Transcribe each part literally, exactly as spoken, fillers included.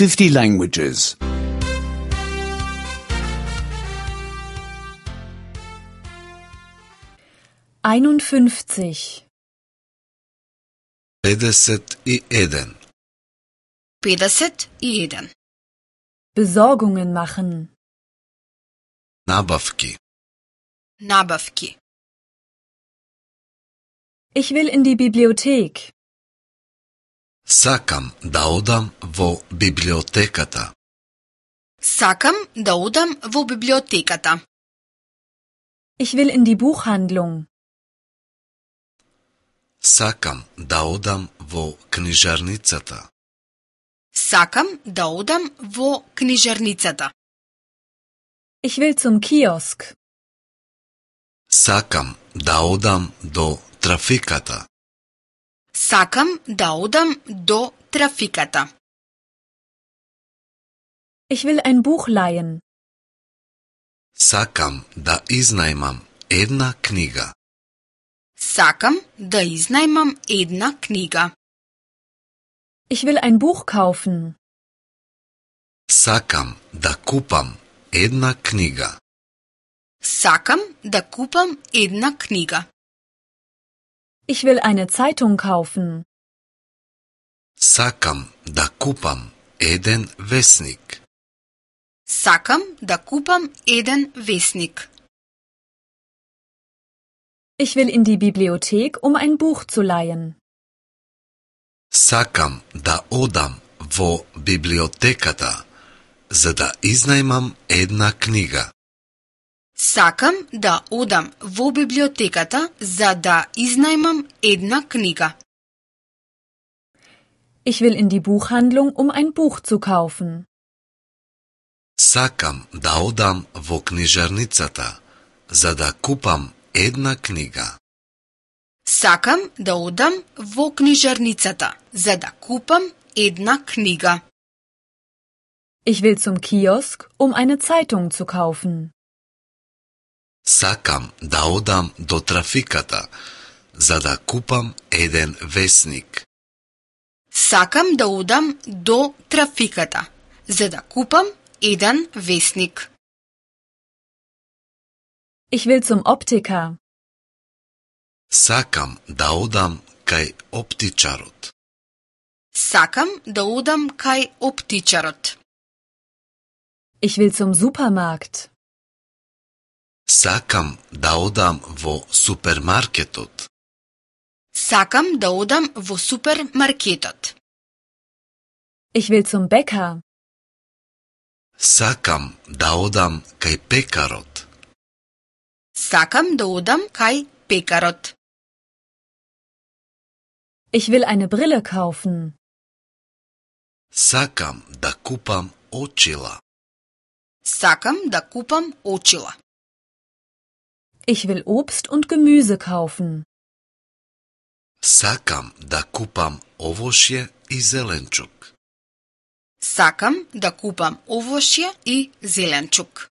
fifty languages. einundfünfzig. педесет и еден. педесет и еден. Besorgungen machen. Набавки. Набавки. Ich will in die Bibliothek. Сакам да одам во библиотеката. Сакам да одам во библиотеката. Ich will in die Buchhandlung. Сакам да одам во книжарницата. Сакам да одам во книжарницата. Ich will zum Kiosk. Сакам да одам до трафиката. Сакам да одам до трафиката. Ich will ein Buch leihen. Сакам да изнајмам една книга. Сакам да изнајмам една книга. Ich will ein Buch kaufen. Сакам да купам една книга. Сакам да купам една книга. Ich will eine Zeitung kaufen. Сакам да купам еден весник. Сакам да купам еден весник. Ich will in die Bibliothek, um ein Buch zu leihen. Сакам да одам во библиотеката, за да изнајмам една книга. Сакам да одам во библиотеката за да изнајмам една книга. Ich will in die Buchhandlung, um ein Buch zu kaufen. Сакам да одам во книжарницата, за да купам една книга. Сакам да одам во книжарницата за да купам една книга. Ich will zum Kiosk, um eine Zeitung zu kaufen. Сакам да одам до трафиката, за да купам еден весник. Сакам да одам до трафиката за да купам еден весник. Ich will zum Optiker. Сакам да одам кај оптичарот. Сакам да одам кај оптичарот. Ich will zum Supermarkt. Сакам да одам во супермаркетот. Сакам да одам во супермаркетот. Ich will zum Bäcker. Сакам да одам кај пекарот. Сакам да одам кај пекарот. Ich will eine Brille kaufen. Сакам да купам очила. Сакам да купам очила. Ich will Obst und Gemüse kaufen. Сакам да купам овошје и зеленчук. Сакам да купам овошје и зеленчук.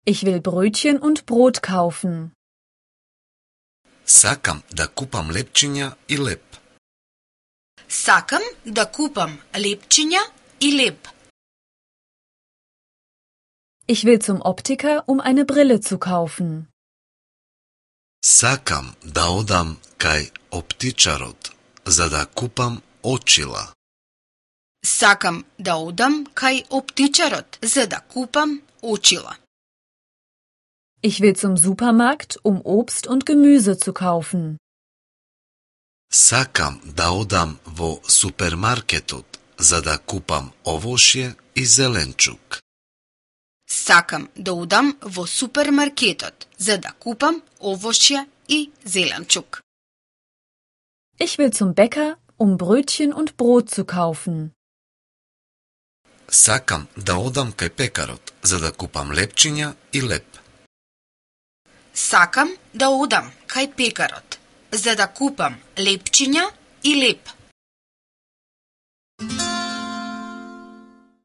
Ich will Brötchen und Brot kaufen. Сакам да купам лепчиња и леп. Сакам да купам лепчиња и леп. Ich will zum Optiker, um eine Brille zu kaufen. Сакам да одам кај оптичарот, за да купам очила. Сакам да одам кај оптичарот за да купам очила. Ich will zum Supermarkt, um Obst und Gemüse zu kaufen. Сакам да одам во супермаркетот, за да купам овошје и зеленчук. Сакам да одам во супермаркетот за да купам овошје и зеленчук. Ich will zum Bäcker, um Brötchen und Brot zu kaufen. Сакам да одам кај пекарот, за да купам лепчиња и леп. Сакам да одам кај пекарот за да купам лепчиња и леп.